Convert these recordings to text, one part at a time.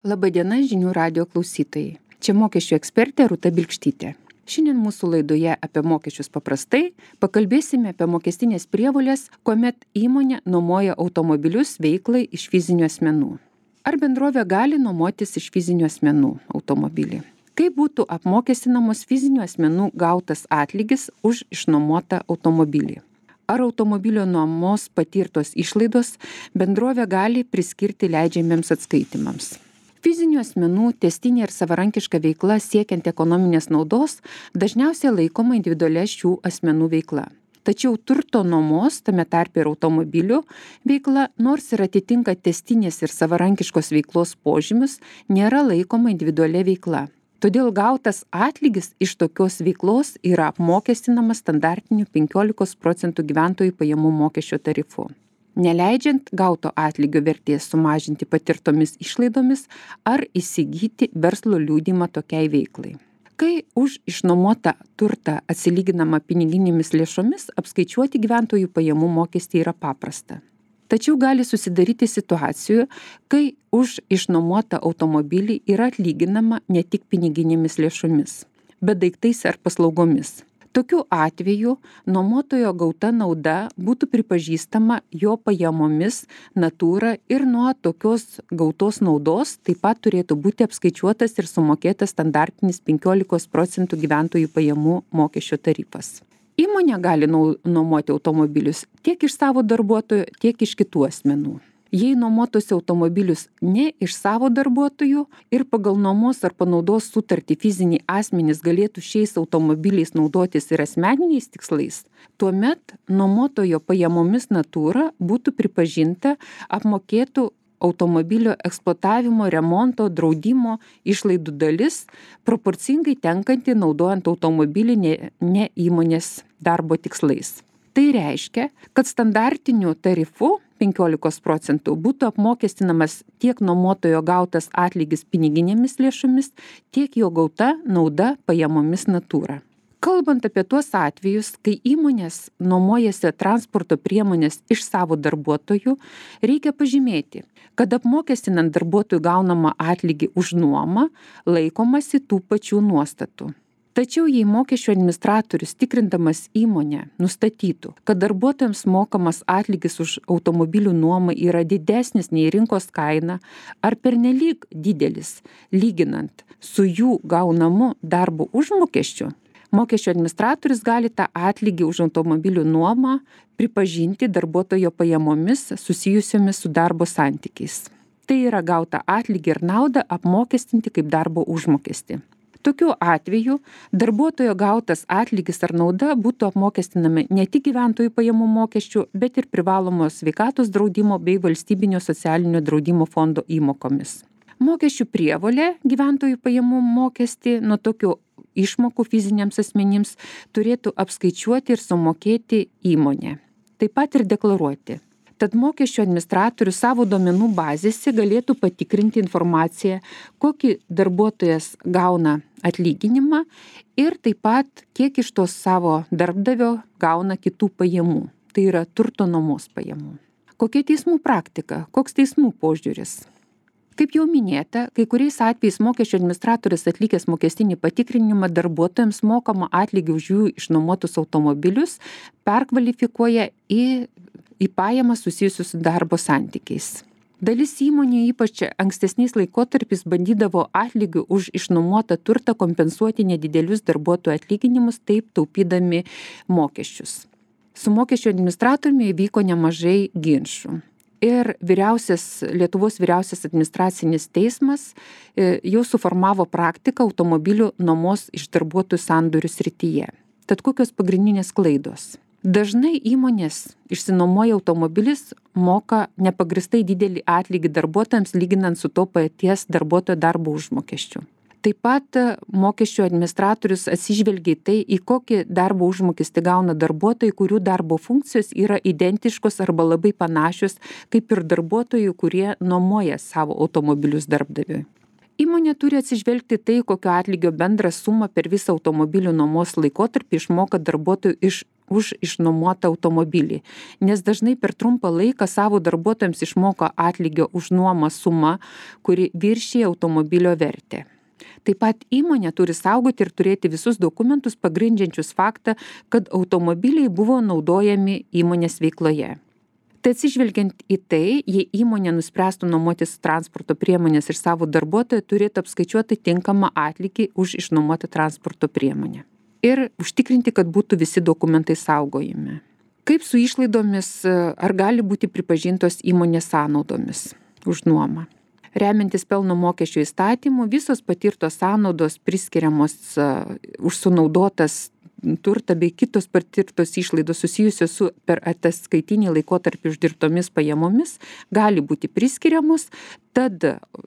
Labadiena žinių radijo klausytojai. Čia mokesčių ekspertė Rūta Bilkštytė. Šiandien mūsų laidoje apie mokesčius paprastai pakalbėsime apie mokestinės prievolės, kuomet įmonė nuomoja automobilius veiklai iš fizinių asmenų. Ar bendrovė gali nuomotis iš fizinių asmenų automobilį? Kaip būtų apmokestinamos fizinių asmenų gautas atlygis už išnuomotą automobilį? Ar automobilio nuomos patirtos išlaidos bendrovė gali priskirti leidžiamiems atskaitimams? Fizinių asmenų tęstinė ir savarankiška veikla siekiant ekonominės naudos dažniausiai laikoma individualia šių asmenų veikla. Tačiau turto nuomos, tame tarpe ir automobilių veikla, nors ir atitinka tęstinės ir savarankiškos veiklos požymius, nėra laikoma individualia veikla. Todėl gautas atlygis iš tokios veiklos yra apmokestinamas standartiniu 15% gyventojų pajamų mokesčio tarifu, neleidžiant gauto atlygio vertės sumažinti patirtomis išlaidomis ar įsigyti verslo liudijimą tokiai veiklai. Kai už išnuomotą turtą atsilyginama piniginėmis lėšomis, apskaičiuoti gyventojų pajamų mokestį yra paprasta. Tačiau gali susidaryti situacijų, kai už išnuomotą automobilį yra atlyginama ne tik piniginėmis lėšomis, bet daiktais ar paslaugomis. Tokiu atveju nuomotojo gauta nauda būtų pripažįstama jo pajamomis natūra ir nuo tokios gautos naudos taip pat turėtų būti apskaičiuotas ir sumokėtas standartinis 15% gyventojų pajamų mokesčio tarifas. Įmonė gali nuomoti automobilius tiek iš savo darbuotojų, tiek iš kitų asmenų. Jei nuomotųsi automobilius ne iš savo darbuotojų ir pagal nuomos ar panaudos sutartį fiziniai asmenys galėtų šiais automobiliais naudotis ir asmeniniais tikslais, tuomet nuomotojo pajamomis natūra būtų pripažinta apmokėtų automobilio eksploatavimo, remonto, draudimo išlaidų dalis, proporcingai tenkanti naudojant automobilį ne įmonės darbo tikslais. Tai reiškia, kad standartiniu tarifu 15% būtų apmokestinamas tiek nuomotojo gautas atlygis piniginėmis lėšomis, tiek jo gauta nauda pajamomis natūra. Kalbant apie tuos atvejus, kai įmonės nuomojasi transporto priemonės iš savo darbuotojų, reikia pažymėti, kad apmokestinant darbuotojų gaunamą atlygį už nuomą laikomasi tų pačių nuostatų. Tačiau jei mokesčių administratorius tikrindamas įmonę nustatytų, kad darbuotojams mokamas atlygis už automobilių nuomą yra didesnis nei rinkos kaina ar pernelyg didelis, lyginant su jų gaunamu darbo užmokesčiu, mokesčių administratorius gali tą atlygį už automobilių nuomą pripažinti darbuotojo pajamomis susijusiomis su darbo santykiais. Tai yra gautą atlygį ir naudą apmokestinti kaip darbo užmokestį. Tokiu atveju darbuotojo gautas atlygis ar nauda būtų apmokestinami ne tik gyventojų pajamų mokesčių, bet ir privalomos sveikatos draudimo bei valstybinio socialinio draudimo fondo įmokomis. Mokesčių prievolė gyventojų pajamų mokestį nuo tokių išmokų fiziniams asmenims turėtų apskaičiuoti ir sumokėti įmonė, taip pat ir deklaruoti. Tad mokesčių administratorius savo duomenų bazėse galėtų patikrinti informaciją, kokį darbuotojas gauna atlyginimą ir taip pat kiek iš tos savo darbdavio gauna kitų pajamų, tai yra turto nuomos pajamų. Kokia teismų praktika, koks teismų požiūris? Kaip jau minėta, kai kuriais atvejais mokesčių administratorius atlikęs mokestinį patikrinimą darbuotojams mokamą atlygį už jų išnuomotus automobilius perkvalifikuoja į pajamas susijusius su darbo santykiais. Dalis įmonių ypač ankstesniais laikotarpiais bandydavo atlygių už išnuomotą turtą kompensuoti nedidelius darbuotojų atlyginimus, taip taupydami mokesčius. Su mokesčių administratoriumi įvyko nemažai ginčų. Ir Lietuvos vyriausias administracinis teismas jau suformavo praktiką automobilių nuomos iš darbuotojų sandorių srityje. Tad kokios pagrindinės klaidos? Dažnai įmonės išsinuomoja automobilis, moka nepagristai didelį atlygį darbuotojams lyginant su to paties darbuotojo darbo užmokesčiu. Taip pat mokesčių administratorius atsižvelgia į tai, į kokį darbo užmokestį gauna darbuotojai, kurių darbo funkcijos yra identiškos arba labai panašios, kaip ir darbuotojų, kurie nuomoja savo automobilius darbdaviui. Įmonė turi atsižvelgti tai, kokio atlygio bendrą sumą per visą automobilių nuomos laikotarpį išmoka darbuotojų iš už išnuomotą automobilį, nes dažnai per trumpą laiką savo darbuotojams išmoka atlygio už nuomą sumą, kuri viršija automobilio vertę. Taip pat įmonė turi saugoti ir turėti visus dokumentus pagrindžiančius faktą, kad automobiliai buvo naudojami įmonės veikloje. Tai atsižvelgiant į tai, jei įmonė nuspręstų nuomotis transporto priemonės ir savo darbuotoją, turėtų apskaičiuoti tinkamą atlygį už išnuomotą transporto priemonę. Ir užtikrinti, kad būtų visi dokumentai saugojami. Kaip su išlaidomis, ar gali būti pripažintos įmonės sąnaudomis už nuomą? Remiantis pelno mokesčio įstatymu, visos patirtos sąnaudos priskiriamos už sunaudotas turtą bei kitos patirtos išlaidos susijusios su per ataskaitinį laikotarpį uždirbtomis pajamomis gali būti priskiriamos, tad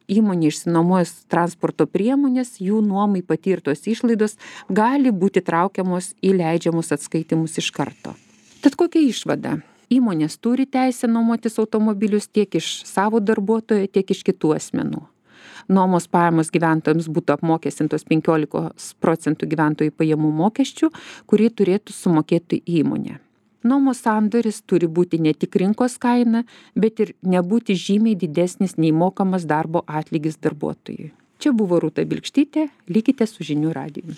įmonė išsinuomojus transporto priemonės, jų nuomai patirtos išlaidos gali būti traukiamos į leidžiamus atskaitimus iš karto. Tad kokia išvada? Įmonės turi teisę nuomotis automobilius tiek iš savo darbuotojo, tiek iš kitų asmenų. Nuomos pajamos gyventojams būtų apmokestintos 15% gyventojų pajamų mokesčių, kurį turėtų sumokėti įmonė. Nuomos sandoris turi būti ne tik rinkos kaina, bet ir nebūti žymiai didesnis nei mokamas darbo atlygis darbuotojui. Čia buvo Rūta Bilkštytė, likite su Žinių radiju.